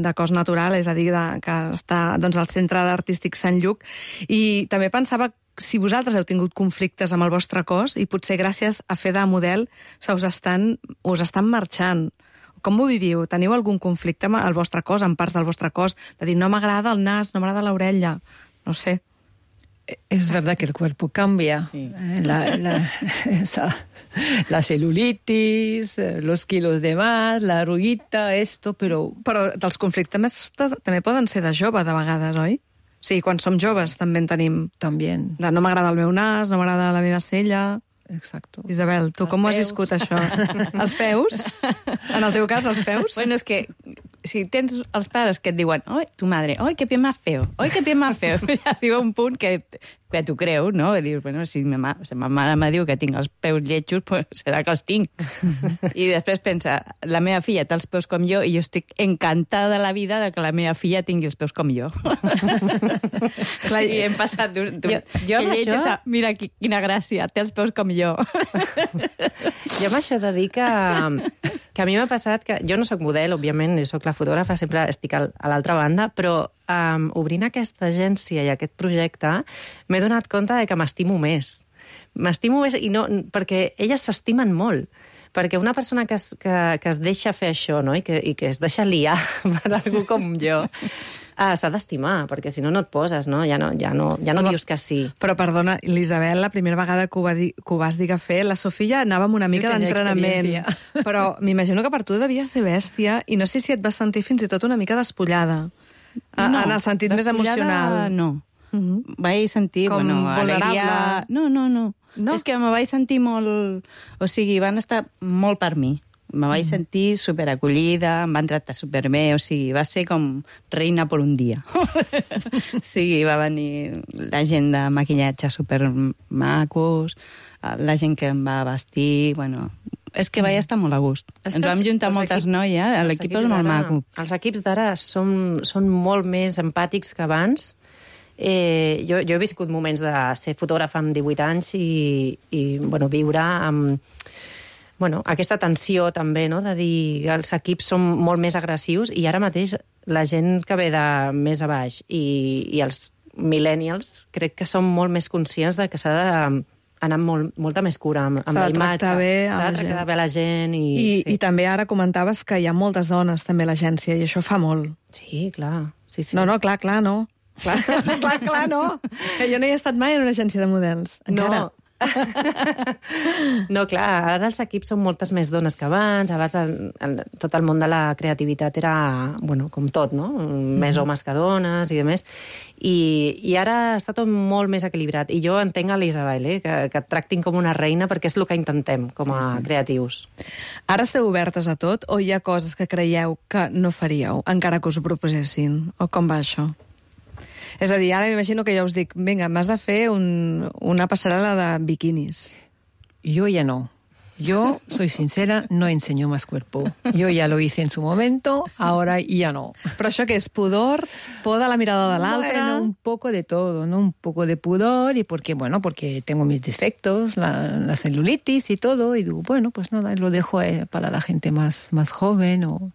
de cos natural, és a dir, de, que està doncs, al Centre Artístic Sant Lluc, i també pensava si vosaltres heu tingut conflictes amb el vostre cos i potser gràcies a fer de model se us estan, us estan marxant. Com ho viviu? Teniu algun conflicte amb el vostre cos, amb parts del vostre cos? De dir, no m'agrada el nas, no m'agrada l'orella. No sé. Es verdad que el cuerpo cambia. Sí. La, la, esa, la celulitis, los kilos de más, la arruguita, esto, però... Però els conflictes també poden ser de jove, de vegades, oi? Sí, quan som joves també en tenim. També. De, no m'agrada el meu nas, no m'agrada la meva cella... Exacto. Isabel, tu els com ho has peus. viscut, això? Els peus? En el teu cas, els peus? Bueno, és que si tens els pares que et diuen oi, tu madre, oi, que pie más feo, oi, que pie más feo, ja arriba un punt que, que t'ho creus, no? I dius, bueno, si ma, ma, si ma mare me diu que tinc els peus lletjos, pues serà que els tinc. I després pensa, la meva filla té els peus com jo i jo estic encantada de la vida de que la meva filla tingui els peus com jo. Clar, sí, hem passat d'un... Jo, jo que lletjos això... a, mira quina gràcia, té els peus com jo. Jo amb això he de dir que, que a mi m'ha passat que... Jo no sóc model, òbviament, jo sóc la fotògrafa, sempre estic a l'altra banda, però um, obrint aquesta agència i aquest projecte m'he donat compte de que m'estimo més. M'estimo més i no, perquè elles s'estimen molt. Perquè una persona que es, que, que es deixa fer això, no? I, que, i que es deixa liar per algú com jo, uh, s'ha d'estimar, perquè si no, no et poses, no? Ja no, ja no, ja no, no dius que sí. Però, perdona, l'Isabel, la primera vegada que ho, va dir, que ho vas dir que fer, la Sofia anava amb una mica d'entrenament. Però m'imagino que per tu devia ser bèstia i no sé si et vas sentir fins i tot una mica despullada. No, en el sentit més emocional. No. Uh-huh. Vaig sentir, com bueno, vulnerable. Alegria... No, no, no, no. És que me vaig sentir molt... O sigui, van estar molt per mi. Me vaig sentir superacollida, em van tractar superbé, o sigui, va ser com reina per un dia. O sigui, va venir la gent de maquillatge supermacos, la gent que em va vestir, bueno... És que vaig estar molt a gust. Ens vam juntar moltes noies, l'equip és molt maco. Els equips d'ara són, són molt més empàtics que abans. Eh, jo, jo he viscut moments de ser fotògrafa amb divuit anys i, i bueno, viure amb bueno, aquesta tensió també, no? De dir que els equips són molt més agressius i ara mateix la gent que ve de més a baix i, i els millennials crec que són molt més conscients de que s'ha de anar amb molt, molta més cura amb, amb la imatge. S'ha de tractar bé a la gent. I, I, sí. I també ara comentaves que hi ha moltes dones també a l'agència i això fa molt. Sí, clar. Sí, sí. No, no, clar, clar, no. Clar, clar, clar, no. Que jo no hi he estat mai en una agència de models. Encara. No. No, clar, ara els equips són moltes més dones que abans. Abans el, el, tot el món de la creativitat era, bueno, com tot, no? Més homes que dones i demés. I, i ara està tot molt més equilibrat. I jo entenc a l'Isabel, eh? que, que et tractin com una reina perquè és el que intentem com a sí, sí. creatius. Ara esteu obertes a tot o hi ha coses que creieu que no faríeu encara que us ho proposessin? O com va això? És a dir, ara m'imagino que ja us dic, vinga, m'has de fer un, una passarel·la de biquinis. Yo ya no. Yo, soy sincera, no enseño más cuerpo. Yo ya lo hice en su momento, ahora ya no. Però això què és? Pudor? Por de la mirada de l'altre? Bueno, un poco de todo, ¿no? Un poco de pudor y porque, bueno, porque tengo mis defectos, la, la celulitis y todo, y digo, bueno, pues nada, lo dejo eh, para la gente más, más joven o...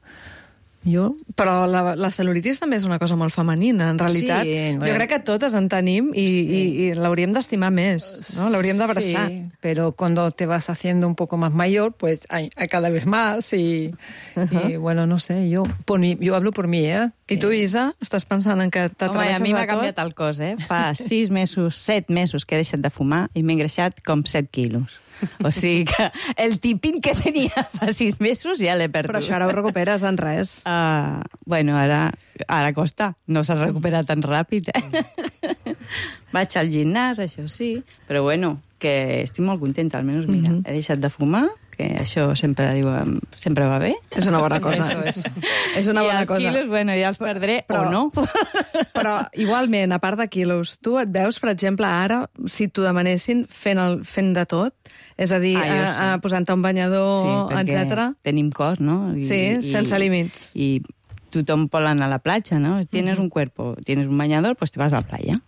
Jo... Però la, la celulitis també és una cosa molt femenina, en realitat. Sí, bueno. Jo crec que totes en tenim i, sí. i, i l'hauríem d'estimar més, no? L'hauríem d'abraçar. Sí, pero cuando te vas haciendo un poco más mayor, pues hay, hay cada vez más y, uh-huh. y bueno, no sé, yo, por mi, yo hablo por mi, ¿eh? I tu, Isa, estàs pensant en que t'atreveixes a mi m'ha tot? canviat el cos, eh? Fa sis mesos, set mesos que he deixat de fumar i m'he engreixat com set quilos. O sigui que el tipín que tenia fa sis mesos ja l'he perdut. Però això ara ho recuperes en res. Uh, bueno, ara, ara costa. No s'ha recuperat tan ràpid. Eh? Vaig al gimnàs, això sí, però bueno, que estic molt contenta. Almenys, mira, mm-hmm. he deixat de fumar perquè això sempre diu, sempre va bé. És una bona cosa. Eso és. És una bona I els cosa. quilos, bueno, ja els perdré Però- o no. Però, igualment, a part de quilos, tu et veus, per exemple, ara, si t'ho demanessin, fent, el, fent de tot? És a dir, Ah, jo ah, sí. ah, posant-te un banyador, Sí, perquè etcètera. tenim cos, no? I, Sí, sense límits. I tothom vol anar a la platja, no? Tienes un cuerpo, tienes un bañador, pues te vas a la playa.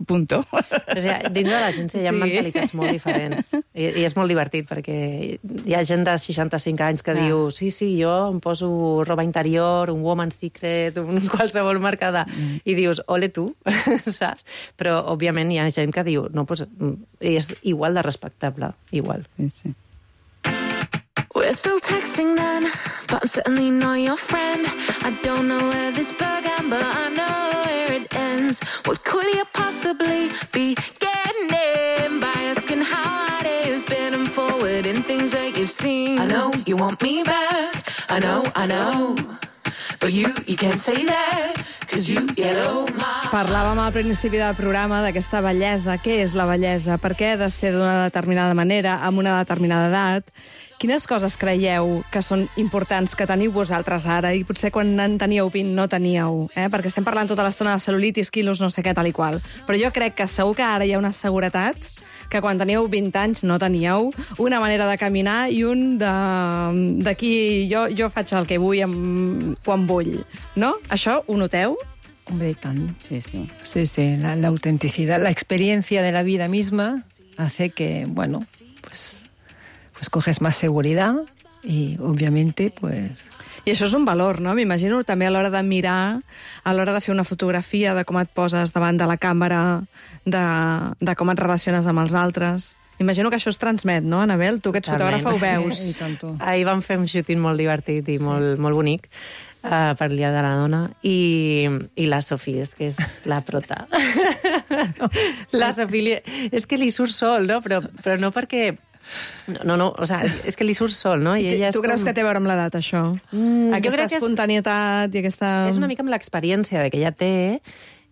Punto. O sigui, dins de l'agència hi ha Sí. mentalitats molt diferents. I, I és molt divertit, perquè hi ha gent de seixanta-cinc anys que Ah. diu sí, sí, jo em poso roba interior, un woman's secret, un qualsevol marca de... Mm. I dius, ole tu, saps? Però, òbviament, hi ha gent que diu, no, pues, és igual de respectable, igual. Sí, sí. We're still texting then, but I'm certainly not your friend. I don't know where this began, but I know where it ends. What could you possibly be getting in by asking how hard it has been and forwarding things that you've seen? I know you want me back, I know, I know, but you, you can't say that, cause you yellow my... Parlàvem al principi del programa d'aquesta bellesa. Què és la bellesa? Per què ha de ser d'una determinada manera, amb una determinada edat? Quines coses creieu que són importants que teniu vosaltres ara i potser quan en teníeu vint no teníeu? Eh? Perquè estem parlant tota l'estona de cel·lulitis, quilos, no sé què, tal i qual. Però jo crec que segur que ara hi ha una seguretat que quan teníeu vint anys no teníeu, una manera de caminar i un de... d'aquí jo, jo faig el que vull amb... quan vull. No? Això ho noteu? Hombre, tan. Sí, sí. Sí, sí, la, la autenticidad, la experiencia de la vida misma hace que, bueno, pues, pues coges más seguridad y obviamente, pues... I això és un valor, no? M'imagino també a l'hora de mirar, a l'hora de fer una fotografia, de com et poses davant de la càmera, de, de com et relaciones amb els altres. Imagino que això es transmet, no, Anabel? Tu que ets Totalment. fotògrafa ho veus. I tanto. Ahir vam fer un shooting molt divertit i sí. molt, molt bonic uh, per el Dia de la Dona i, i la Sofia és que és la prota. La Sofia és que li surt sol, no? Però, però no perquè... No, no, o sea, és que li surt sol, no? I ella tu és creus com... que té a veure amb l'edat, això? Mm, aquesta jo crec que és... espontanietat i aquesta... És una mica amb l'experiència de que ella té,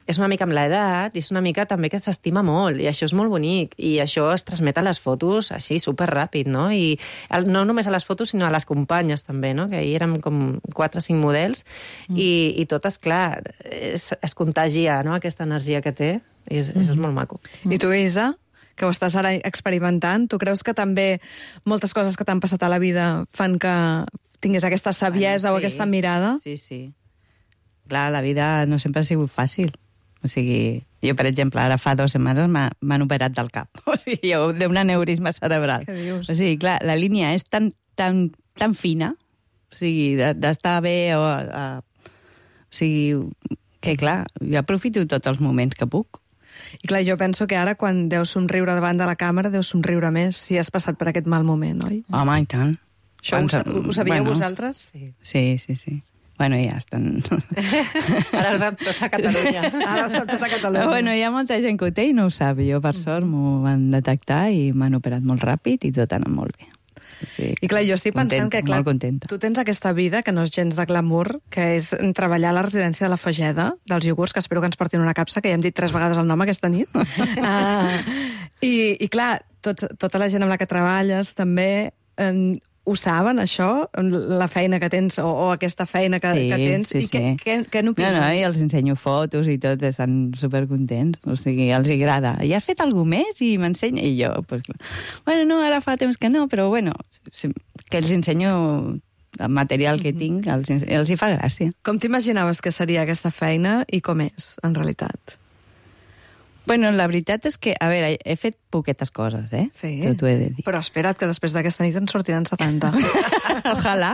és una mica amb l'edat, i és una mica també que s'estima molt, i això és molt bonic, i això es transmet a les fotos així, superràpid, no? I el, no només a les fotos, sinó a les companyes també, no? Que ahir érem com quatre o cinc models, mm. i, i totes, clar, es, es contagia, no?, aquesta energia que té, i és, mm. és molt maco. I tu, Isa, que ho estàs ara experimentant, tu creus que també moltes coses que t'han passat a la vida fan que tinguis aquesta saviesa Bueno, o sí. aquesta mirada? Sí, sí. Clar, la vida no sempre ha sigut fàcil. O sigui, jo, per exemple, ara fa dues setmanes m'han operat del cap. O sigui, jo, d'un aneurisma cerebral. Què dius? O sigui, clar, la línia és tan, tan, tan fina, o sigui, d'estar bé o... A, o sigui, que clar, jo aprofito tots els moments que puc. I clar, jo penso que ara, quan deus somriure davant de la càmera, deus somriure més si has passat per aquest mal moment, oi? Home, i tant. Això ho, sa- ho sabíeu Bueno, vosaltres? Sí. Sí, sí, sí. Bueno, ja estan... Ara ho sap tota Catalunya. Ara ho sap tota Catalunya. Però bueno, hi ha molta gent que ho té i no ho sap. Jo, per sort, m'ho van detectar i m'han operat molt ràpid i tot ha anat molt bé. Sí, I clar, jo estic pensant contenta, que, clar, molt contenta. tu tens aquesta vida que no és gens de glamour, que és treballar a la residència de la Fageda, dels iogurts, que espero que ens portin una capsa, que ja hem dit tres vegades el nom aquesta nit. uh, i, I clar, tot, tota la gent amb la que treballes també... Um, ho saben, això? La feina que tens, o, o aquesta feina que, sí, que tens? Sí, I què, sí. què, què n'opines? No, no, i els ensenyo fotos i tot, estan supercontents. O sigui, els agrada. I has fet alguna més? I m'ensenya. I jo, pues, bueno, no, ara fa temps que no, però bueno, que els ensenyo el material que tinc, els, els hi fa gràcia. Com t'imaginaves que seria aquesta feina i com és, en realitat? Bueno, la veritat és que, a veure, he fet poquetes coses, eh? Sí. T'ho he de dir. Però espera't, que després d'aquesta nit en sortiran setanta. Ojalà.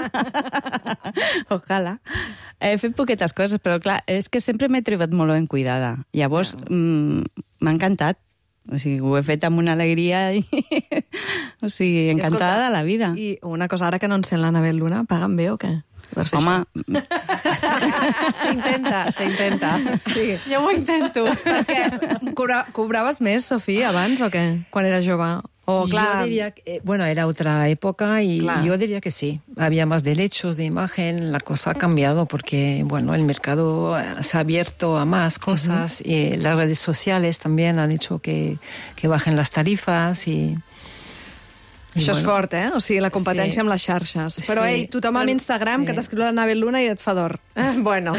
Ojalà. He fet poquetes coses, però clar, és que sempre m'he trobat molt ben cuidada. Llavors, mm, m'ha encantat. O sigui, ho he fet amb una alegria i... o sigui, encantada de la vida. I una cosa, ara que no encén l'Anabel Luna, paguen bé o què? Home... S'intenta, s'intenta. Sí. Jo ho intento. Perquè cobra, cobraves més, Sofía, abans o què? Quan eras jove? O, clar... Yo diría que, eh, bueno, era otra época y Claro. yo diría que sí. Había más derechos de imagen, la cosa ha cambiado porque, bueno, el mercado eh, se ha abierto a más cosas y las redes sociales también han hecho que, que bajen las tarifas y... Això és fort, eh? O sigui, la competència Sí. amb les xarxes. Però, Sí. ei, tothom amb Instagram Sí. que t'escriu l'Anabel Luna i et fa d'or. Ah, bueno,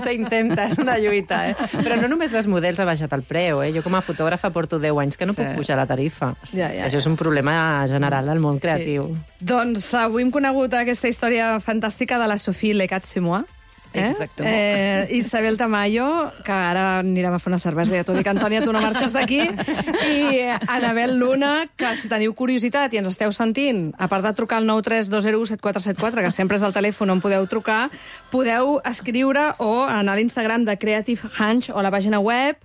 s'intenta, és una lluita, eh? Però no només les models ha baixat el preu, eh? Jo com a fotògrafa porto deu anys que no Sí. puc pujar la tarifa. Ja, ja, Això és un problema general del món creatiu. Doncs avui hem conegut aquesta història fantàstica de la Sophie Lecat-Simois. Eh? Exacte. Eh, Isabel Tamayo, que ara anirem a fer una cervesa, ja t'ho dic, Antònia, tu no marxes d'aquí, i Anabel Luna, que si teniu curiositat i ens esteu sentint, a part de trucar al nou tres dos zero u set quatre set quatre, que sempre és el telèfon on podeu trucar, podeu escriure o anar a l'Instagram de Creative Hunch o a la pàgina web,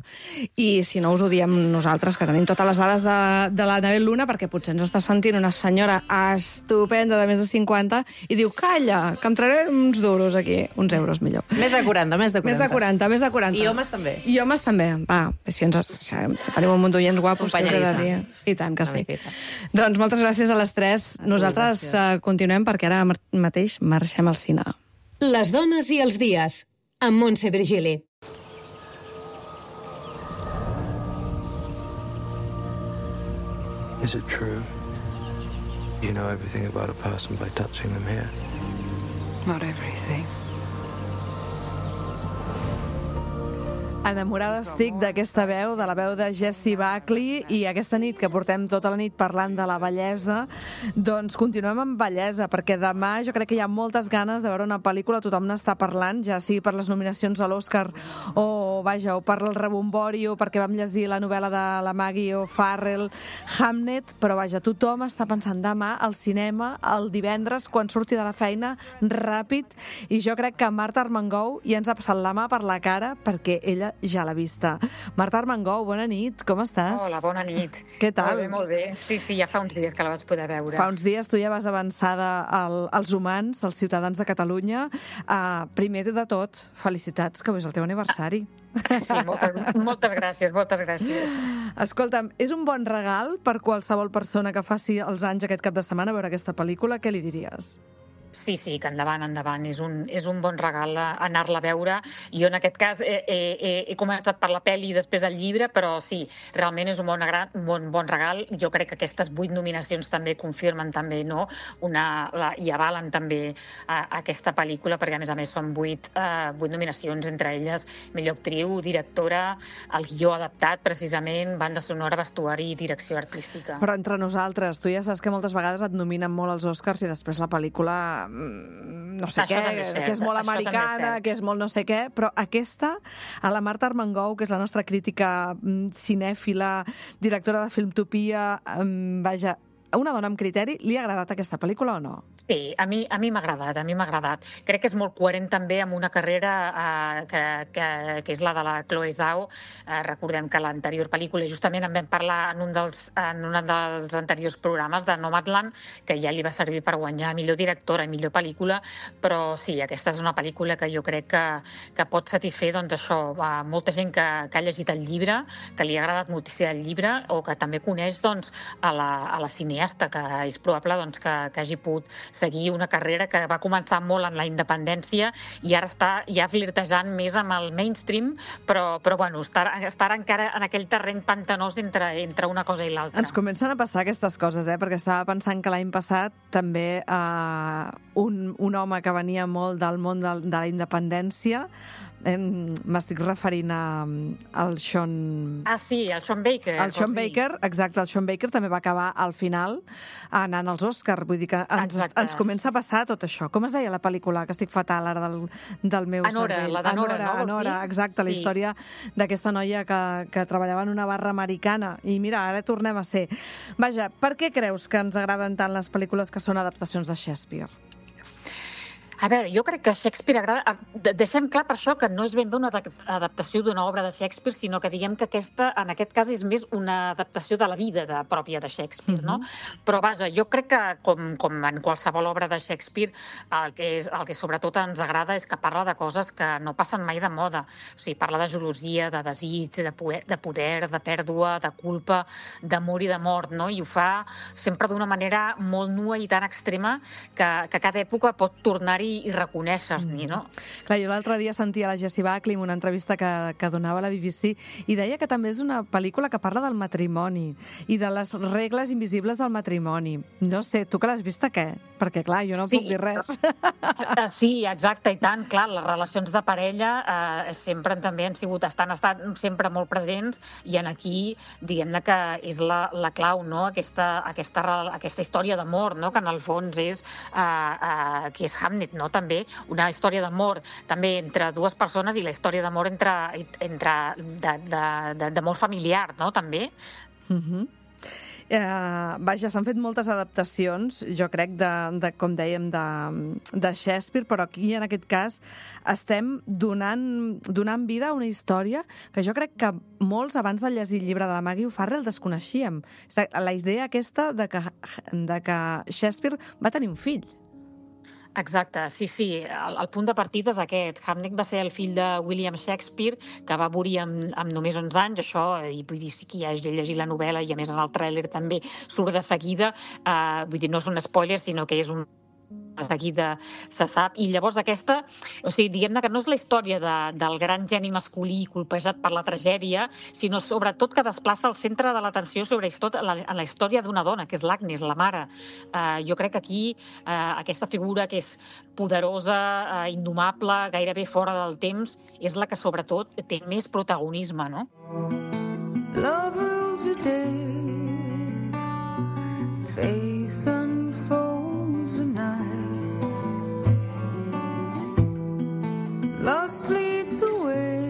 i si no us ho diem nosaltres, que tenim totes les dades de, de l'Anabel Luna, perquè potser ens està sentint una senyora estupenda de més de cinquanta i diu, calla, que em trauré uns duros aquí, uns euros millor. Més de quaranta, més de quaranta. Més de quaranta, més de quaranta. I homes també. I homes també. Va, si ens, si tenim un munt d'oients guapos, que us he de Companya dir. I tant que Una sí. miqueta. Doncs moltes gràcies a les tres. Nosaltres uh, continuem perquè ara mar- mateix marxem al cine. Les dones i els dies, amb Montse Virgili. Is it true? You know everything about a person by touching them here. Not everything. Enamorada estic d'aquesta veu, de la veu de Jessie Buckley, i aquesta nit que portem tota la nit parlant de la bellesa, doncs continuem amb bellesa, perquè demà jo crec que hi ha moltes ganes de veure una pel·lícula, tothom n'està parlant, ja sigui per les nominacions a l'Oscar o, vaja, o per el rebombori o perquè vam llegir la novel·la de la Maggie O'Farrell, Hamnet, però vaja, tothom està pensant demà al cinema, el divendres, quan surti de la feina, ràpid, i jo crec que Marta Armengou ja ens ha passat la mà per la cara perquè ella ja l'ha vista. Marta Armengou, bona nit, com estàs? Hola, bona nit. Què tal? Molt bé, molt bé. Sí, sí, ja fa uns dies que la vaig poder veure. Fa uns dies tu ja vas avançada al, als humans, als ciutadans de Catalunya. Uh, primer de tot, felicitats, que avui és el teu aniversari. Sí, moltes, moltes gràcies, moltes gràcies. Escolta'm, és un bon regal per qualsevol persona que faci els anys aquest cap de setmana a veure aquesta pel·lícula? Què li diries? Sí, sí, que endavant, endavant. És un, és un bon regal anar-la a veure. Jo, en aquest cas, he, he, he començat per la pel·li i després el llibre, però sí, realment és un bon, un bon, bon regal. Jo crec que aquestes vuit nominacions també confirmen també, no? Una, la, i avalen també a, a aquesta pel·lícula, perquè a més a més són vuit, uh, vuit nominacions, entre elles millor actriu, directora, el guió adaptat, precisament, banda sonora, vestuari i direcció artística. Però entre nosaltres, tu ja saps que moltes vegades et nominen molt als Oscars i després la pel·lícula no sé Això què, és cert, que és molt això també és americana, cert. que és molt no sé què, però aquesta, a la Marta Armengou, que és la nostra crítica mm, cinèfila, directora de Filmtopia, mm, vaja, una dona amb criteri, li ha agradat aquesta pel·lícula o no? Sí, a mi a mi m'ha agradat, a mi m'ha agradat. Crec que és molt coherent també amb una carrera eh, que, que, que és la de la Chloe Zhao. Eh, recordem que l'anterior pel·lícula, justament en vam parlar en un dels, en un dels anteriors programes de Nomadland, que ja li va servir per guanyar millor directora i millor pel·lícula, però sí, aquesta és una pel·lícula que jo crec que, que pot satisfer, doncs això, a molta gent que, que ha llegit el llibre, que li ha agradat moltíssim el llibre, o que també coneix, doncs, a la, a la cineasta, que és probable doncs, que, que hagi pogut seguir una carrera que va començar molt en la independència i ara està ja flirtejant més amb el mainstream, però, però bueno, estar, estar encara en aquell terreny pantanós entre, entre una cosa i l'altra. Ens comencen a passar aquestes coses, eh? Perquè estava pensant que l'any passat també eh, un, un home que venia molt del món de, de la independència, eh, m'estic referint a, al Sean... Ah, sí, el Sean Baker. El Sean sí. Baker, exacte, el Sean Baker també va acabar al final anant als Oscars, vull dir que ens, ens comença a passar tot això. Com es deia la pel·lícula, que estic fatal ara del, del meu Anora, cervell? la d'Anora, Anora, no? Anora, exacte, la Sí. història d'aquesta noia que, que treballava en una barra americana. I mira, ara tornem a ser. Vaja, per què creus que ens agraden tant les pel·lícules que són adaptacions de Shakespeare? A veure, jo crec que Shakespeare agrada... Deixem clar per això que no és ben bé una adaptació d'una obra de Shakespeare, sinó que diguem que aquesta, en aquest cas, és més una adaptació de la vida de, pròpia de Shakespeare, no? Uh-huh. Però, vaja, jo crec que, com, com en qualsevol obra de Shakespeare, el que, és, el que sobretot ens agrada és que parla de coses que no passen mai de moda. O sigui, parla de gelosia, de desig, de poder, de, poder, de pèrdua, de culpa, d'amor i de mort, no? I ho fa sempre d'una manera molt nua i tan extrema que, que cada època pot tornar-hi i, i reconèixer-n'hi, no? Clar, jo l'altre dia sentia la Jessie Buckley en una entrevista que, que donava a la B B C i deia que també és una pel·lícula que parla del matrimoni i de les regles invisibles del matrimoni. No sé, tu que l'has vista, què? Perquè, clar, jo no Sí. puc dir res. Sí, exacte, i tant. Clar, les relacions de parella eh, sempre també han sigut, estan, estan sempre molt presents i en aquí, diguem-ne que és la, la clau, no? Aquesta, aquesta, aquesta història d'amor, no? Que en el fons és, eh, eh, que és Hamnet, no? També una història d'amor també entre dues persones i la història d'amor entre, entre d'amor familiar, no? També. Uh-huh. Eh, vaja, s'han fet moltes adaptacions, jo crec, de, de com dèiem, de, de Shakespeare, però aquí, en aquest cas, estem donant, donant vida a una història que jo crec que molts, abans de llegir el llibre de la Maggie O'Farrell, desconeixíem. La idea aquesta de que, de que Shakespeare va tenir un fill. Exacte, sí, sí. El, el punt de partida és aquest. Hamnet va ser el fill de William Shakespeare, que va morir amb, amb només onze anys, això, i vull dir, sí que ja he llegit la novel·la i a més en el tràiler també surt de seguida, eh, vull dir, no és un spoiler, sinó que és un de seguida se sap, i llavors aquesta, o sigui, diguem-ne que no és la història de, del gran geni masculí colpejat per la tragèdia, sinó sobretot que desplaça el centre de l'atenció sobre la, la història d'una dona, que és l'Agnes, la mare. Uh, jo crec que aquí uh, aquesta figura que és poderosa, uh, indomable, gairebé fora del temps, és la que sobretot té més protagonisme, no? Love rules the day, faith unfolds the night. Lost leads the way.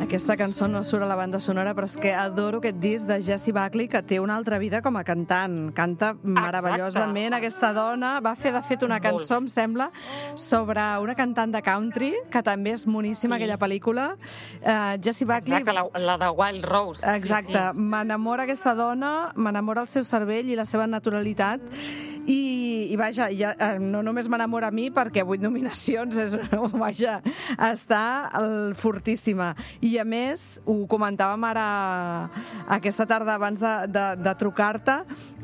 Aquesta cançó no surt a la banda sonora, però és que adoro aquest disc de Jessie Buckley, que té una altra vida com a cantant. Canta meravellosament. Exacte. Aquesta dona va fer, de fet, una cançó, em sembla, sobre una cantant de country, que també és moníssima, sí. Aquella pel·lícula. Uh, Jessie Buckley... Exacte, la, la de Wild Rose. Exacte. Sí, sí. M'enamora aquesta dona, m'enamora el seu cervell i la seva naturalitat. I, i vaja, ja, no només m'enamora a mi perquè vuit nominacions és, vaja, està el, fortíssima. I a més, ho comentàvem ara aquesta tarda abans de, de, de trucar-te,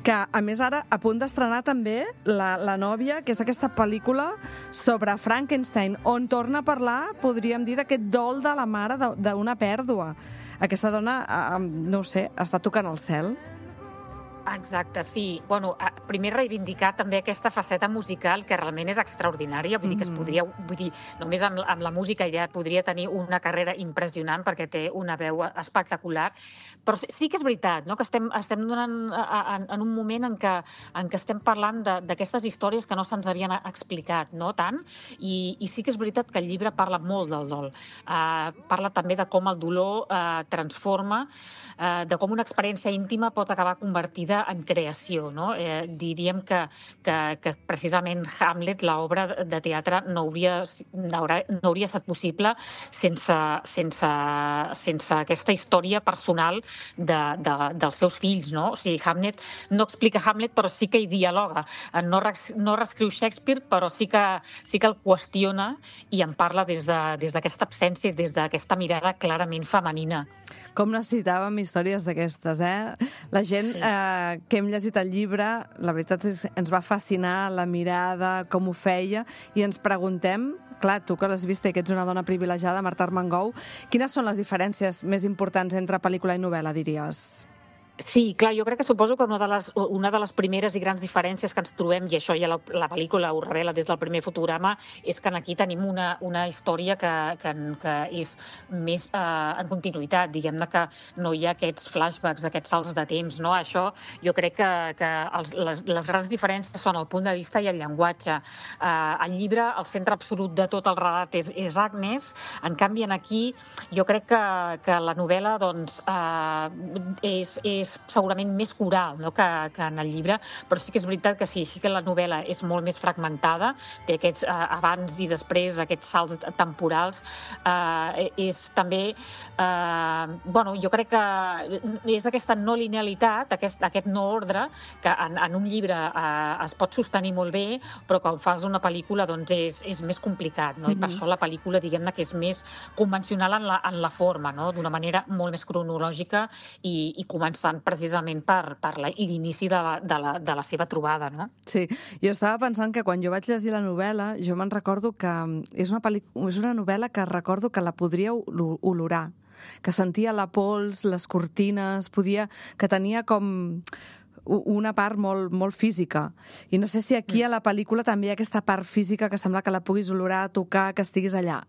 que a més ara a punt d'estrenar també la, la nòvia, que és aquesta pel·lícula sobre Frankenstein, on torna a parlar, podríem dir, d'aquest dol de la mare d'una pèrdua. Aquesta dona, no ho sé, està tocant el cel. Exacte, sí. Bueno, primer reivindicar també aquesta faceta musical que realment és extraordinària, vull dir que es podria, vull dir, només amb, amb la música ja podria tenir una carrera impressionant perquè té una veu espectacular, però sí que és veritat, no?, que estem, estem donant en, en un moment en què, en què estem parlant d'aquestes històries que no se'ns havien explicat, no tant, i, i sí que és veritat que el llibre parla molt del dol. Uh, parla també de com el dolor uh, transforma, uh, de com una experiència íntima pot acabar convertida en creació, no? Eh, diríem que, que, que precisament Hamlet, l'obra de teatre, no hauria, no hauria estat possible sense, sense, sense aquesta història personal de, de, dels seus fills, no? O sigui, Hamlet no explica Hamlet, però sí que hi dialoga. No, no reescriu Shakespeare, però sí que, sí que el qüestiona i en parla des d'aquesta de, absència, des d'aquesta mirada clarament femenina. Com necessitàvem històries d'aquestes, eh? La gent... Sí. Eh, que hem llegit el llibre, la veritat és que ens va fascinar la mirada, com ho feia, i ens preguntem, clar, tu que l'has vist i que ets una dona privilegiada, Marta Armengou, quines són les diferències més importants entre pel·lícula i novel·la, diries? Sí, clar, jo crec que suposo que una de les, una de les primeres i grans diferències que ens trobem, i això ja la, la pel·lícula ho revela des del primer fotograma, és que aquí tenim una, una història que, que, que és més eh, en continuïtat, diguem-ne que no hi ha aquests flashbacks, aquests salts de temps, no? Això jo crec que, que els, les, les grans diferències són el punt de vista i el llenguatge. Eh, el llibre, el centre absolut de tot el relat és, és Agnes, en canvi aquí jo crec que, que la novel·la doncs, eh, és, és segurament més coral, no?, que, que en el llibre, però sí que és veritat que sí, sí que la novel·la és molt més fragmentada, té aquests eh, abans i després, aquests salts temporals, eh, és també, eh, bueno, jo crec que és aquesta no linealitat, aquest, aquest no ordre, que en, en un llibre eh, es pot sostenir molt bé, però quan fas una pel·lícula doncs és, és més complicat, no? Mm-hmm. I per això la pel·lícula, diguem-ne, que és més convencional en la, en la forma, no?, d'una manera molt més cronològica i, i comença interessant precisament per, per l'inici de, la, de, la, de la seva trobada, no? Sí, jo estava pensant que quan jo vaig llegir la novel·la, jo me'n recordo que és una, pel·li... és una novel·la que recordo que la podria olorar, que sentia la pols, les cortines, podia... que tenia com una part molt, molt física. I no sé si aquí a la pel·lícula també hi ha aquesta part física que sembla que la puguis olorar, tocar, que estiguis allà.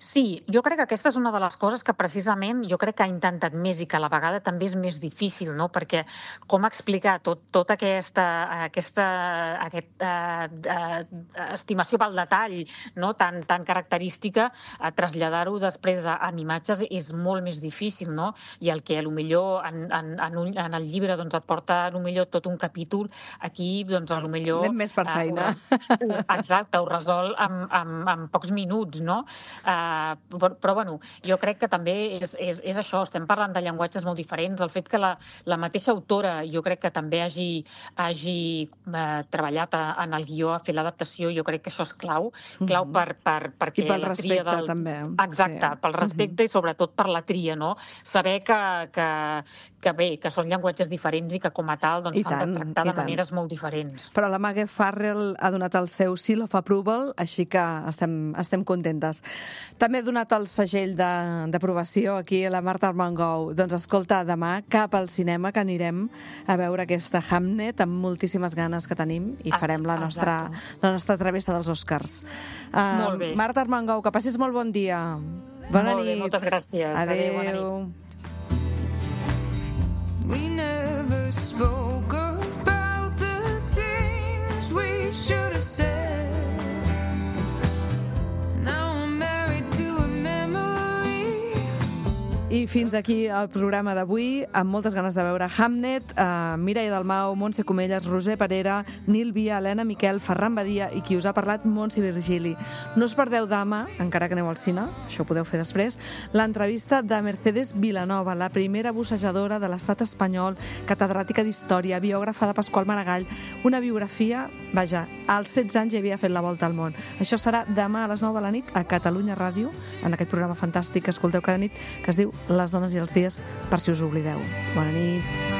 Sí, jo crec que aquesta és una de les coses que precisament jo crec que ha intentat més i que a la vegada també és més difícil, no? Perquè com explicar tot, tota aquesta, aquesta aquesta uh, estimació pel detall, no? tan, tan característica, uh, traslladar-ho després a, en imatges és molt més difícil, no? I el que potser en, en, en, un, en el llibre doncs, et porta potser tot un capítol, aquí doncs, potser... Anem més per feina. Uh, exacte, ho resol en, en, en pocs minuts, no? Uh, però, però bueno, jo crec que també és, és, és això, estem parlant de llenguatges molt diferents, el fet que la, la mateixa autora jo crec que també hagi, hagi eh, treballat a, en el guió, a fer l'adaptació, jo crec que això és clau, clau Mhm. per, per, perquè I pel la tria respecte, del... també. Exacte, Sí. pel respecte i sobretot per la tria, no? Saber que, que, que bé, que són llenguatges diferents i que com a tal doncs, I s'han tant, de tractar i de tant. maneres molt diferents. Però la Maggie Farrell ha donat el seu seal of approval, així que estem, estem contentes. També ha donat el segell de- d'aprovació aquí a la Marta Armengou. Doncs escolta, demà cap al cinema que anirem a veure aquesta Hamnet amb moltíssimes ganes que tenim i farem la nostra, la nostra travessa dels Oscars. Uh, Molt bé. Marta Armengou, que passis molt bon dia. Bona Molt bé, nit. moltes gràcies. Adéu, bona nit. Adéu. We never spoke about the things we should have said. Now I'm married to a memory. I fins aquí el programa d'avui, amb moltes ganes de veure Hamnet, eh, Mireia Dalmau, Montse Comelles, Roser Parera, Nil Via, Helena Miquel, Ferran Badia i qui us ha parlat, Montse Virgili. No us perdeu demà, encara que aneu al cine, això ho podeu fer després, l'entrevista de Mercedes Vilanova, la primera bussejadora de l'estat espanyol, catedràtica d'Història, biògrafa de Pasqual Maragall, una biografia, vaja, als setze anys ja havia fet la volta al món. Això serà demà a les nou de la nit a Catalunya Ràdio, en aquest programa fantàstic que escolteu cada nit, que es diu Les dones i els dies, per si us oblideu. Bona nit.